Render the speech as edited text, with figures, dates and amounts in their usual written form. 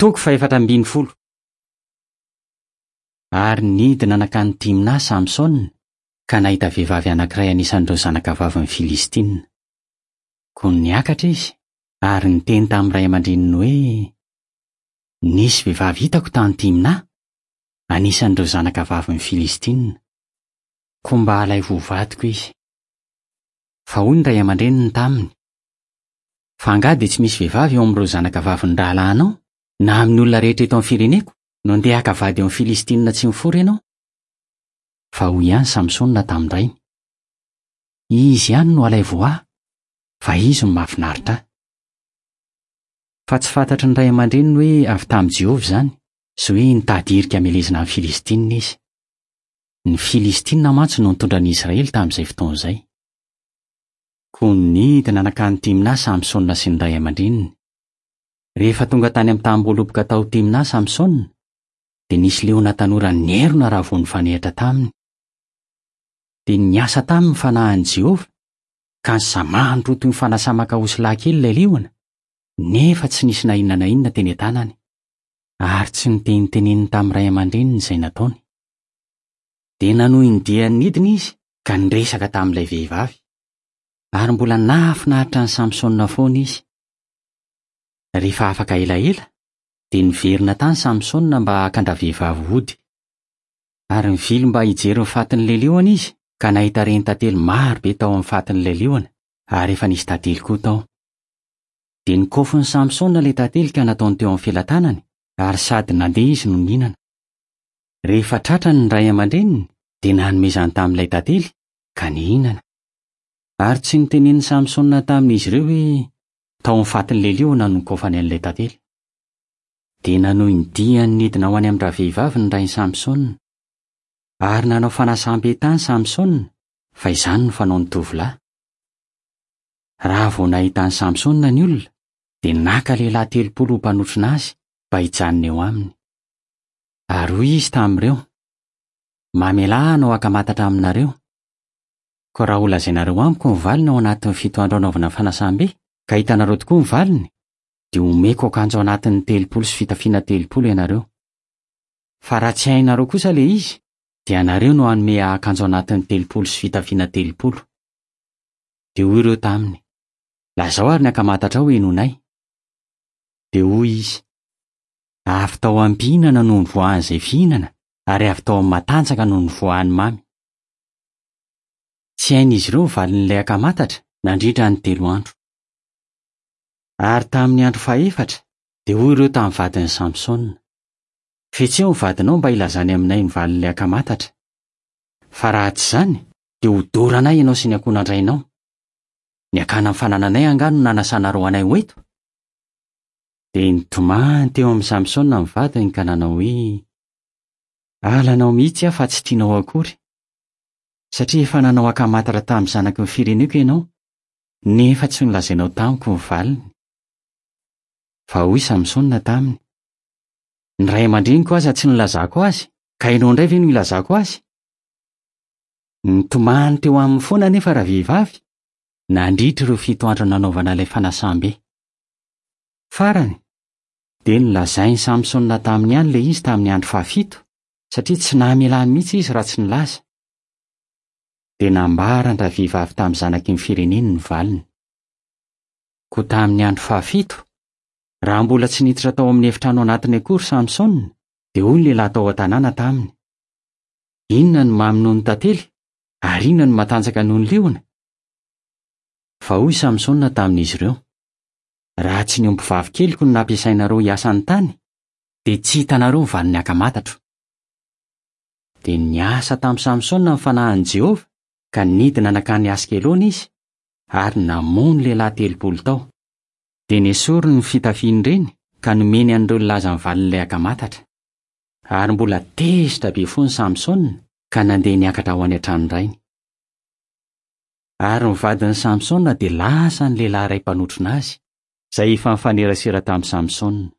Toko fahefatra ambin'ny folo. Ary nidina nankany Timna Samsona ka nahita vehivavy anankiray anisan'ireo zanakavavin'ny Filistina. Koa niakatra izy ary niteny tamin'ny ray aman-dreniny hoe, Nisy vehivavy hitako tany Timna, anisan'ireo zanakavavin'ny Filistina. Koa mba alaivo ho vadiko izy. Fa hoy ny ray aman-dreniny taminy, Fa angaha dia tsy misy vehivavy eo amin'ireo zanakavavin'ny rahalahinao, na amin'ny olona rehetra eto amin'ny fireneko, no ndeha haka vady eo amin'ny Filistinina tsy mifora ianao? Fa hoy ihany Samsona tamin-drainy, Izy ihany no alaivo ho ahy, fa izy no mahafinaritra ahy. Fa tsy fantatry ny ray aman-dreniny hoe avy tamin'i Jehovah izany, sy hoe nitady hirika hamelezana ny Filistinina izy. Ny Filistinina mantsy no nitondra ny Israely tamin'izay fotoana izay. Koa nidina nankany Timna Samsona sy ny ray aman-dreniny. Rehefa tonga tany amin'ny tanimboaloboka tao Timna Samsona, dia nisy liona tanora nierona raha vao nifanehatra taminy. Dia niasa taminy ny fanahin'i Jehovah, ka nisamahany roa toy ny fanasamaka osilahy kely ilay liona, nefa tsy nisy na inona na inona teny an-tanany. Ary tsy noteniteneniny tamin'ny ray aman-dreniny izay nataony. Dia nanohy ny diany nidina izy ka niresaka tamin'ilay vehivavy. Ary mbola nahafinaritra an'i Samsona foana izy. Rehefa afaka elaela, dia niverina tany Samsona mba haka an-dravehivavy hody. Ary nivily mba hijery ny fatin'ilay liona izy, ka nahita renin-tantely maro be tao amin'ny fatin'ilay liona, ary efa nisy tantely koa tao. Dia nikaofin'i Samsona ilay tantely ka nataony teo amin'ny felatanany, ary sady nandeha izy no nihinana. Rehefa tratrany ny ray aman-dreniny, dia nanome izany tamin'ilay tantely, ka nihinana. Ary tsy notenenin'i Samsona tamin'izy ireo hoe tao amin'ny fatin'ilay liona no nikaofany an'ilay tantely. Dia nanohy ny diany nidina ho any amin-dravehivavy ny rain'i Samsona. Ary nanao fanasam-be tany Samsona, fa izany no fanaon'ny tovolahy. Raha vao nahita an'i Samsona ny olona, dia naka lehilahy 30 ho mpanotrona azy mba hijanona eo aminy. Ary hoy izy tamin'ireo, Mamelà ahy hanao ankamatatra aminareo. Koa raha holazainareo amiko ny valiny ao anatin'ny fito andro anaovana fanasam-be, ka hitanareo tokoa ny valiny, dia homeko akanjo anatiny 30 sy fitafiana 30 ianareo. Fa raha tsy hainareo kosa ilay izy, dia ianareo no hanome ahy akanjo anatiny 30 sy fitafiana 30. Dia hoy ireo taminy, Lazao ary ny ankamatatrao henoinay. Dia hoy izy, Avy tao am-pihinana no nivoahan'izay fihinana, ary avy tao amin'ny matanjaka no nivoahan'ny mamy. Tsy hain'izy ireo ny valin'ilay ankamatatra nandritra ny telo andro. Ary tamin'ny andro fahefatra, dia hoy ireo tamin'ny vadin'i Samsona, Fetseo ny vadinao mba hilazany aminay ny valin'ilay ankamatatra. Fa raha tsy izany, dia hodoranay ianao sy ny ankohonandrainao. Ny hakana ny fanananay angaha no nanasanareo anay ho eto? Dia nitomany teo amin'i Samsona ny vadiny ka nanao hoe, Halanao mihitsy aho fa tsy tianao akory, satria efa nanao ankamatatra tamin'ny zanaky ny fireneko ianao, nefa tsy nolazainao tamiko ny valiny. Fa hoy Samsona taminy, Ny ray aman-dreniko aza tsy nilazako azy, ka ianao indray ve no hilazako azy? Nitomany teo aminy foana anefa ravehivavy, nandritra ireo fito andro nanaovana ilay fanasam-be. Farany, dia nolazain'i Samsona taminy ihany ilay izy tamin'ny andro fahafito, satria tsy namelany mihitsy izy raha tsy nilaza. Dia nambaran-dravehivavy tamin'ny zanaky ny fireneny ny valiny. Koa tamin'ny andro fahafito, raha mbola tsy niditra tao amin'ny efitrano anatiny akory Samsona, dia hoy ny lehilahy tao an-tanàna taminy, Inona no mamy noho ny tantely, ary inona no matanjaka noho ny liona? Fa hoy Samsona tamin'izy ireo, Raha tsy ny ombivavy keliko no nampiasainareo hiasa ny tany, dia tsy hitanareo ny valin'ny ankamatratro. Dia niasa tamin'i Samsona ny fanahin'i Jehovah, ka nidina nankany Askelona izy, ary namono lehilahy 30 tao. Dia nesoriny ny fitafian'ireny, ka nomeny an'ireo nilaza ny valin'ilay ankamatatra. Ary mbola tezitra be foana Samsona, ka nandeha niakatra ho any an-tranon-drainy. Ary ny vadin'i Samsona dia lasa ny lehilahy iray mpanotrona azy, izay efa nifanerasera tamin'i Samsona.